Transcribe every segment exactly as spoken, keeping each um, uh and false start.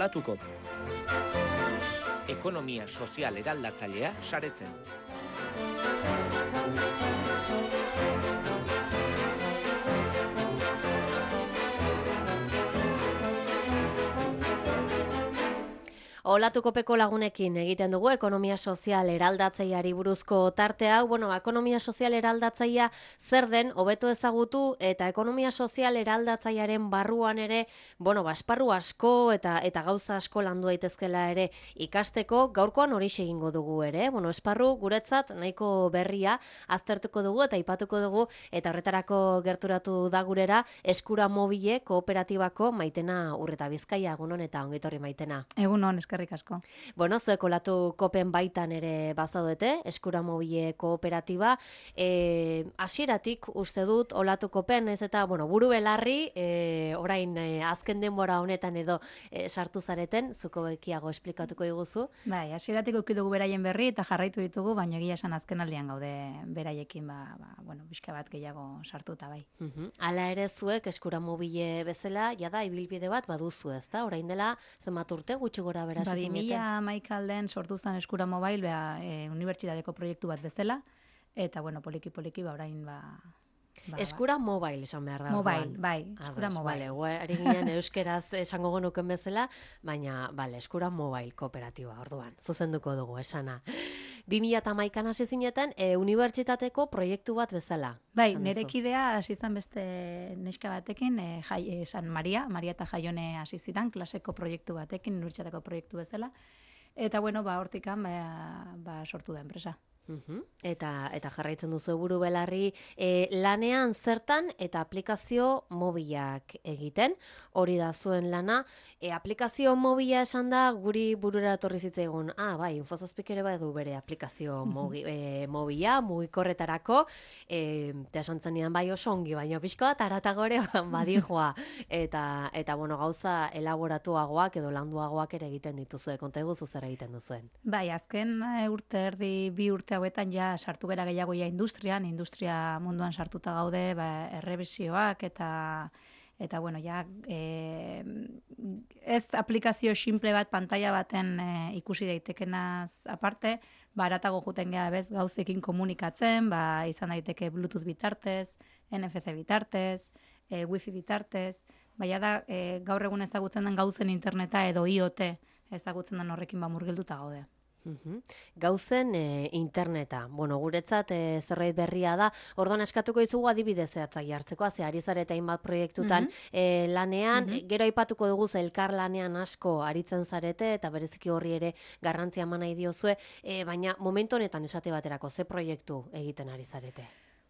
olatuko. Ekonomia sozial eraldatzailea saretzen. Olatukopeko lagunekin egiten dugu ekonomia sozial eraldatzaileari buruzko tarte hau. Bueno, ekonomia sozial eraldatzailea zer den hobeto ezagutu eta ekonomia sozial eraldatzailearen barruan ere, bueno, esparru asko eta eta gauza asko landu daitezkela ere ikasteko. Gaurkoan horixe egingo dugu ere. Bueno, esparru guretzat nahiko berria aztertuko dugu eta aipatuko dugu eta horretarako gerturatu da gurera Eskura Mobile kooperatibako Maitena Urreta Bizkaia. Egunon eta ongitorri Maitena. Egunon, eskerrik asko. Bueno, zuek olatu kopen baitan ere bazaudete, Eskura Mobile kooperatiba. E, hasieratik uste dut olatu kopen ez eta, bueno, buru belarri, e, orain e, azken denbora honetan edo e, sartu zareten, zuko bekiago esplikatuko diguzu. Bai, hasieratik eduki dugu beraien berri eta jarraitu ditugu, baina egia esan azken aldian gaude beraiekin, ba, ba, bueno, bizka bat gehiago sartuta bai. Uh-huh. Hala ere zuek Eskura Mobile bezala, jada ibilbide bat baduzu, ezta? Orain dela zenbat urte gutxi gora bera Ba, bi mila hamaika alden sortu zen Eskura Mobile, ba, e, unibertsitateko proiektu bat bezala, eta, bueno, poliki-poliki, ba, orain, ba... ba Eskura Mobile esan behar da. Mobile, bai, Eskura Ados, Mobile. Vale, ari ginen euskeraz esango genuken bezala, baina, bale, Eskura Mobile kooperatiba, orduan, zuzenduko dugu, esana. bi mila hamaikan hasi zineten, e, unibertsitateko proiektu bat bezala. Bai, nire kidea hasi izan beste neska batekin, e, jai, e, San Maria, Maria eta Jaione hasi ziren, klaseko proiektu batekin, unibertsitateko proiektu bezala. Eta, bueno, ba, hortikan, ba, ba, sortu da enpresa. Uhum. Eta eta jarraitzen duzu buru belarri e, lanean zertan eta aplikazio mobilak egiten, hori da zuen lana. E, aplikazio mobila esan da guri burura etorri zitzaigun, ah, bai, Infozazpik ere badu bere aplikazio mogi, e, mobila, mugikorretarako, e, eta esan zenidan bai oso ongi, baina pixko bat aratagore badijoa, eta, eta bueno, gauza elaboratuagoak edo landuagoak ere egiten dituzue, konta eguzu zer egiten duzuen. Bai, azken urte erdi, bi urte hauetan ja sartu gera gehiago ja industrian, industria munduan sartuta gaude, ba, errebisioak eta eta bueno, ja e, ez aplikazio simple bat pantalla baten e, ikusi daitekenaz aparte, ba haratago joeten gea bez gauzekin komunikatzen, ba izan daiteke Bluetooth bitartez, N F C bitartez, e, Wi-Fi bitartez, baina da e, gaur egun ezagutzen den gauzen interneta edo I O T ezagutzen den horrekin ba murgilduta gaude. Uhum. Gauzen e, interneta, bueno, guretzat e, zerbait berria da, orduan eskatuko izugu adibide zehatzak jartzeko, ze ari zarete hainbat proiektutan mm-hmm. e, lanean, mm-hmm. gero aipatuko dugu elkar lanean asko aritzen zarete, eta bereziki horri ere garrantzia eman nahi diozue, e, baina momentu honetan esate baterako, ze proiektu egiten ari zarete?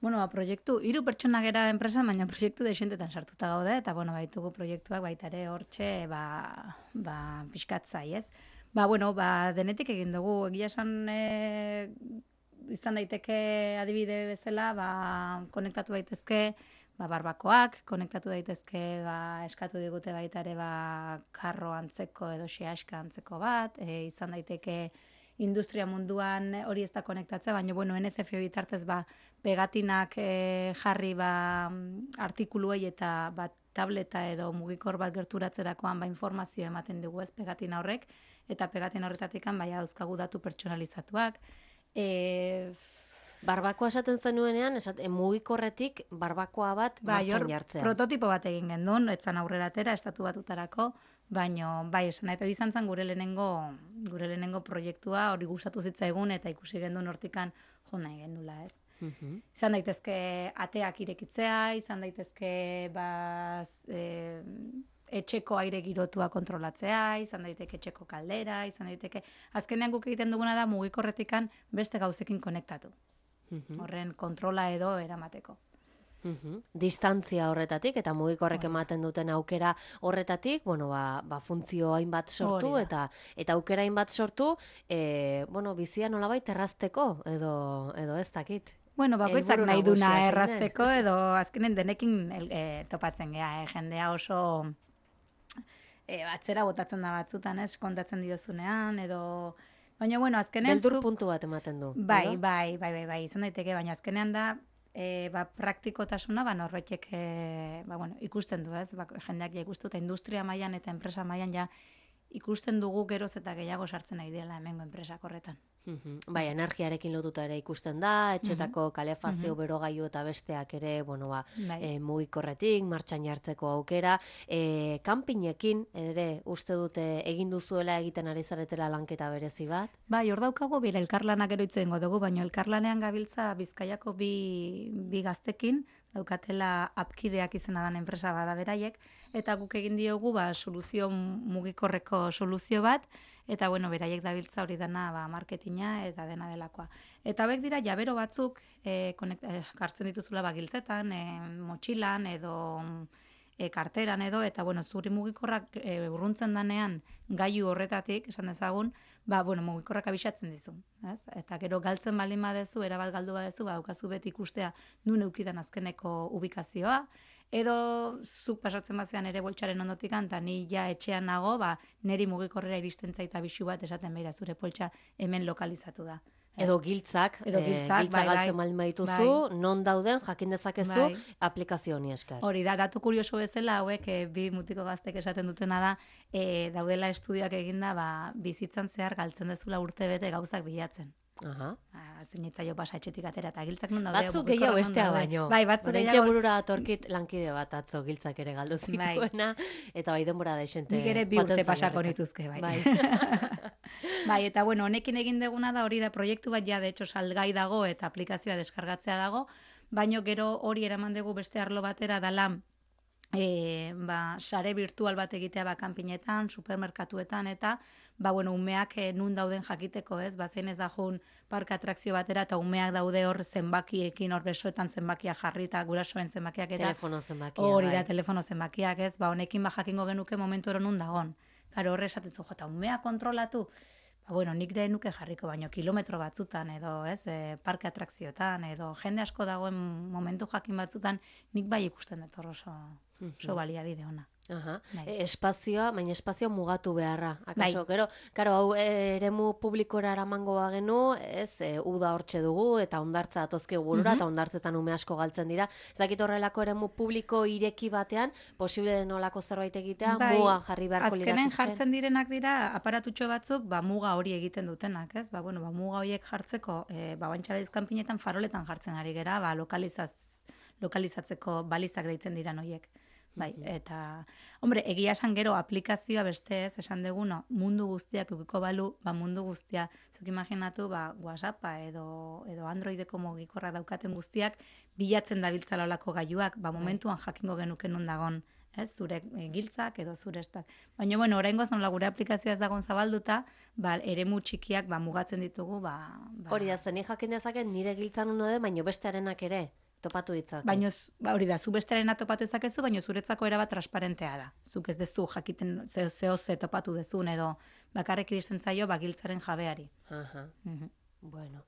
Bueno, ba, proiektu, hiru pertsona gera enpresa, baina proiektu desientetan sartuta gaude, eta bueno, baitugu proiektuak baita ere hortxe, ba, ba, pixkatzai, ez? Ba, bueno, ba, denetik egin dugu. Egia esan e, izan daiteke adibide bezala, ba, konektatu daitezke ba, barbakoak, konektatu daitezke ba, eskatu digute baita ere ba, karro antzeko edo xeaska antzeko bat, e, izan daiteke industria munduan hori ez da konektatzea, baina bueno, N F C bitartez ba, pegatinak e, jarri ba, artikuluei eta bat tableta edo mugikor bat gerturatzerakoan ba, informazio ematen dugu ez pegatina horrek, eta pegatina horretatikan baina dauzkagu datu pertsonalizatuak. E... Barbakoa esaten zenuenean, esate, mugikorretik barbakoa bat ba, martxan jartzea. Prototipo bat egin gendun, etzan aurrera atera, estatu batutarako, baino, bai, esan eta bizan zen gure lehenengo, gure lehenengo proiektua hori gustatu zitzaigun eta ikusi gendun hortikan jo nahi gendula, ez. Uhum. Izan daitezke ateak irekitzea, izan daitezke ba, e, etxeko aire girotua kontrolatzea, izan daiteke etxeko kaldera, izan daiteke... Azkenean guk egiten duguna da mugikorretikan beste gauzekin konektatu. Uhum. Horren kontrola edo eramateko. Uhum. Distantzia horretatik eta mugikorrek ematen duten aukera horretatik, bueno, ba, ba funtzio hainbat sortu eta eta aukera hainbat sortu, e, bueno, bizia nolabait errazteko edo edo ez dakit. Bueno, bakoitzak nahi duna errazteko edo azkenen denekin e, topatzen gea, eh? Jendea oso e, atzera botatzen da batzutan, ez, kontatzen diozunean edo... Baina, bueno, azkenean... Beldur puntu bat ematen du. Bai, bai, bai, bai, bai, izan daiteke, baina azkenean da e, ba, praktikotasuna, ba, norbaitek e, ba, bueno, ikusten du, ez, ba, jendeak ja ikustu, eta industria mailan eta enpresa mailan ja ikusten dugu geroz eta gehiago sartzen nahi dela hemengo enpresak horretan. Bai, energiarekin lotuta ere ikusten da, etxetako kalefazio berogailu eta besteak ere, bueno, ba, e, mugikorretik, martxan jartzeko aukera, e, kanpinekin ere uste dute egin duzuela egiten ari zaretela lanketa berezi bat? Bai, hor daukago, bera elkarlanak gero itzen dugu, baina elkarlanean gabiltza Bizkaiako bi, bi gaztekin, daukatela apkideak izena dan enpresa bada beraiek, eta guk egin diogu ba, soluzio mugikorreko soluzio bat, eta bueno, beraiek dabiltza hori dana ba, marketinga eta dena delakoa. Eta hauek dira jabero batzuk e, konekt, e, jartzen dituzula ba, giltzetan, e, motxilan edo e, karteran edo, eta bueno, zuri mugikorrak e, urruntzen danean gailu horretatik, esan dezagun, ba, bueno, mugikorrak abisatzen dizu. Ez? Eta gero galtzen baldin badezu, erabat galdu badezu, ba, daukazu beti ikustea nun eukidan azkeneko ubikazioa, edo zuk pasatzen bazean ere boltsaren ondotik eta ni ja etxean nago, ba, neri mugikorrera iristen zaita bisu bat esaten behira zure poltsa hemen lokalizatu da. Edo giltzak, edo giltzak, e, giltza bai, galtzen baldin badituzu, bai. non dauden jakin dezakezu Bai. aplikazio honi esker. Hori da, datu kurioso bezala hauek e, bi mutiko gaztek esaten dutena da, e, daudela estudioak eginda, ba, bizitzan zehar galtzen dezula urte bete gauzak bilatzen. Aha. Zinitzaio pasa etxetik atera eta giltzak non daude. Batzuk gehiago bestea baino. Bai, batzuk Oraintxe gehiago. burura atorkit lankide bat atzo giltzak ere galdu zituena, eta bai denbora da esente. Nik ere bi urte pasako nituzke, bai. Bai. Bai, eta bueno, honekin egin deguna da hori da proiektu bat ja, de hecho, salgai dago eta aplikazioa deskargatzea dago, baino gero hori eraman dugu beste arlo batera dala E, ba, sare virtual bat egitea ba, kanpinetan, supermerkatuetan eta ba, bueno, umeak e, nun dauden jakiteko, ez? Ba, zein ez da jun parka atrakzio batera eta umeak daude hor zenbakiekin, hor besoetan zenbakia jarri eta gurasoen zenbakiak eta telefono zenbakia. Hori da, bai. telefono zenbakiak, ez? Ba, honekin ba, jakingo genuke momentu ero nun dagon. Claro, horre esaten zu, jota, umea kontrolatu, ba, bueno, nik de nuke jarriko, baino kilometro batzutan edo, ez, e, parke atrakzioetan edo jende asko dagoen momentu jakin batzutan, nik bai ikusten dut oso, oso baliabide ona. Aha. Bai. E, espazioa, baina espazio mugatu beharra. Akaso, Bai. gero, karo, hau e, eremu publikora eramango bagenu, ez, e, uda hortxe dugu, eta ondartza atozki gurura, eta ondartzetan ume asko galtzen dira. Zakit horrelako eremu publiko ireki batean, posible denolako zerbait egitea, Bai, muga jarri beharko azkenen liratuzken. jartzen direnak dira aparatutxo batzuk, ba, muga hori egiten dutenak, ez? Ba, bueno, ba, muga horiek jartzeko, e, ba, bantxabez kanpinetan faroletan jartzen ari gera, ba, lokalizaz, lokalizatzeko balizak deitzen diran horiek. Bai, eta, hombre, egia esan gero aplikazioa beste ez, esan deguno, mundu guztiak ukiko balu, ba mundu guztia, zuk imaginatu, ba, WhatsAppa edo, edo Androideko mugikorrak daukaten guztiak, bilatzen dabiltzala olako gailuak, ba momentuan jakingo genuke nun dagon, ez, zure e, giltzak edo zure estak. Baina, bueno, oraingoz nola gure aplikazioa ez dagon zabalduta, ba, eremu txikiak ba, mugatzen ditugu, ba... ba Hori da, zen jakin dezaket nire giltzan uno de, baina bestearenak ere. Topatu ditzake. Baina, ba, hori da, zu bestarena topatu ezakezu, baina zuretzako erabat transparentea da. Zuk ez dezu jakiten zeo zeo ze topatu dezun edo bakarrik iristen zaio bagiltzaren jabeari. Aha. Mhm. Bueno.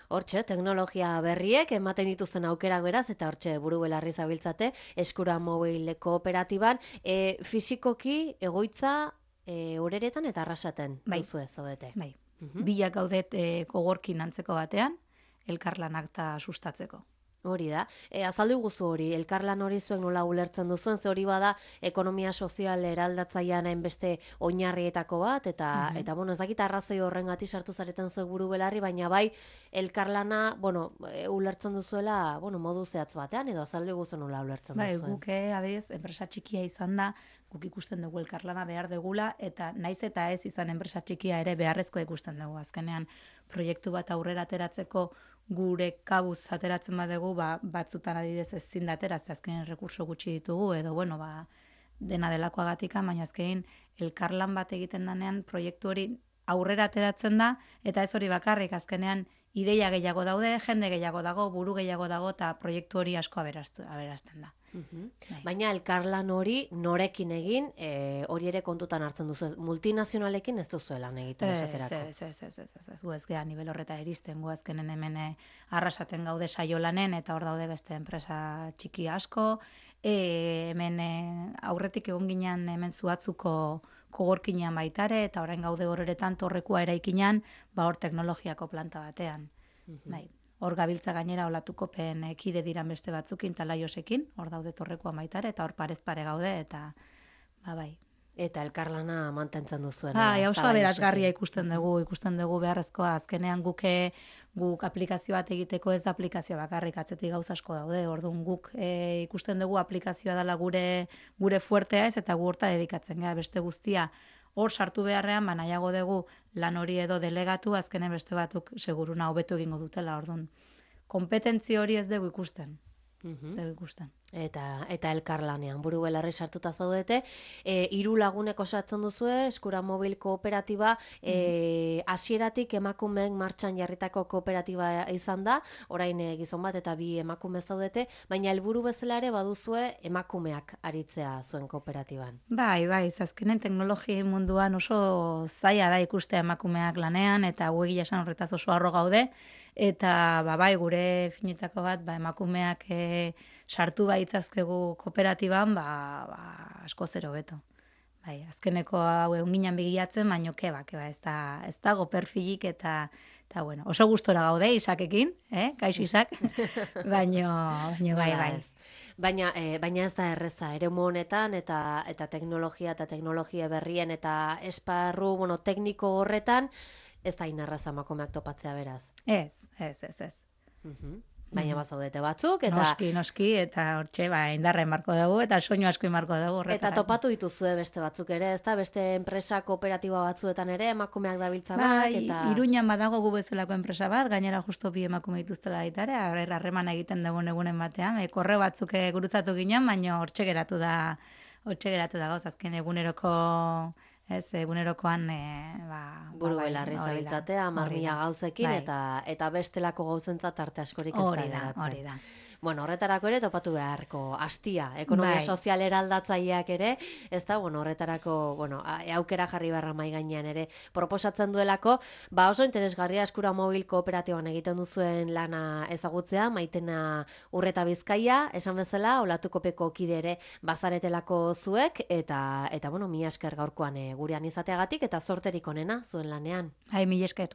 Hortxe, teknologia berriek ematen dituzten aukerak beraz, eta hortxe buru belarri zabiltzate, Eskura Mobil kooperatiban, e, fisikoki egoitza e, ureretan eta arrasaten Bai. duzue zaudete. Bai. Mhm. Bilak gaudet e, kogorkin antzeko batean, elkarlanak ta sustatzeko. Hori da. E, azaldu guzu hori, elkarlan hori zuen nola ulertzen duzuen, ze hori bada ekonomia sozial eraldatzailean beste oinarrietako bat, eta, Mhm. eta bueno, ez dakit arrazoi horrengatik sartu zareten zuek buru belarri, baina bai, elkarlana, bueno, e, ulertzen duzuela, bueno, modu zehatz batean, edo azaldu guzu nola ulertzen Bai, duzuen. guk eh, adez, enpresa txikia izan da, guk ikusten dugu elkarlana behar degula, eta naiz eta ez izan enpresa txikia ere beharrezko ikusten dugu. Azkenean, proiektu bat aurrera ateratzeko gure kabuz ateratzen badegu, ba, batzutan adidez ezin da atera, ze azkenean rekurso gutxi ditugu, edo, bueno, ba, dena delakoagatika, baina azkenean elkarlan bat egiten danean proiektu hori aurrera ateratzen da, eta ez hori bakarrik, azkenean ideia gehiago daude, jende gehiago dago, buru gehiago dago, eta proiektu hori asko aberastu, aberazten da. Mhm. Bai. Baina elkarlan hori norekin egin, e, hori ere kontutan hartzen duzu, multinazionalekin ez duzuela egiten esaterako. Ez, ez, ez, ez, ez, ez, gu ez gea nivel horreta iristen, gu azkenen hemen eh, arrasaten gaude saiolanen, eta hor daude beste enpresa txiki asko, e, hemen eh, aurretik egon ginen hemen zuatzuko kogorkinean baitare, eta orain gaude horretan torrekua eraikinan, ba hor teknologiako planta batean. Bai. Hor gabiltza gainera olatukopen eh, kide diran beste batzukin, talaiosekin, hor daude torrekua baitare, eta hor parez pare gaude, eta ba bai, Eta elkarlana mantentzen duzuen. Bai, oso aberasgarria ikusten dugu, ikusten dugu beharrezkoa, azkenean guke guk aplikazio bat egiteko ez da aplikazio bakarrik, atzetik gauza asko daude. Orduan guk e, ikusten dugu aplikazioa dela gure gure fuertea ez, eta gu horta dedikatzen gara, beste guztia hor sartu beharrean, ba nahiago dugu lan hori edo delegatu, azkenen beste batuk seguruna hobetu egingo dutela. Orduan konpetentzi hori ez dugu ikusten. Ez dugu ikusten. Eta, eta elkarlanean, buru belarri sartuta zaudete, e, hiru lagunek osatzen duzue, Eskura Mobil kooperatiba, e, hasieratik emakumeen martxan jarritako kooperatiba izan da, orain e, gizon bat eta bi emakume zaudete, baina helburu bezala ere baduzue emakumeak aritzea zuen kooperatiban. Bai, bai, azkenen teknologia munduan oso zaila da ikustea emakumeak lanean, eta gu egia esan horretaz oso harro gaude, eta ba, bai, gure finetako bat, ba, emakumeak e, sartu baitzazkegu kooperatiban, ba, ba, asko zero beto. Bai, azkeneko hau egun ginen begiatzen, baino keba, keba, ez, da, ez dago perfilik eta, eta bueno, oso gustora gaude Isakekin, eh? Kaixo Isak, baino, baino bai, bai. Baina, e, baina ez da erreza, eremu honetan, eta, eta teknologia eta teknologia berrien eta esparru, bueno, tekniko horretan, ez da inerraza emakumeak topatzea beraz. Ez, ez, ez, ez. Uh-huh. Baina bazaudete batzuk, eta... Noski, noski, eta hortxe, ba, indarren marko dugu, eta soinu asko marko dugu horretara. Eta topatu dituzue beste batzuk ere, ez da? Beste enpresa kooperatiba batzuetan ere, emakumeak dabiltzanak, bai, eta... Iruñan badago gu bezalako enpresa bat, gainera justo bi emakume dituztela baitare, harreman egiten dugun egunen batean, e, korre batzuk gurutzatu ginen, baina hortxe geratu da, hortxe geratu da gauz, azken eguneroko... Ez, egunerokoan, e, ba... Buru belarri zabiltzatea, marmila gauzekin, bai. eta, eta bestelako gauzentzat arte askorik ez da geratzen. Hori da, Bueno, horretarako ere topatu beharko astia, ekonomia bai. sozial eraldatzaileak ere, ez da, bueno, horretarako, bueno, aukera jarri barra mai gainean ere proposatzen duelako, ba oso interesgarria Eskura Mobil kooperatiban egiten duzuen lana ezagutzea, Maitena Urreta Bizkaia, esan bezala, Olatukopeko kide ere bazaretelako zuek, eta, eta bueno, mila esker gaurkoan e, gurean izateagatik, eta zorterik onena zuen lanean. Hai, mila esker.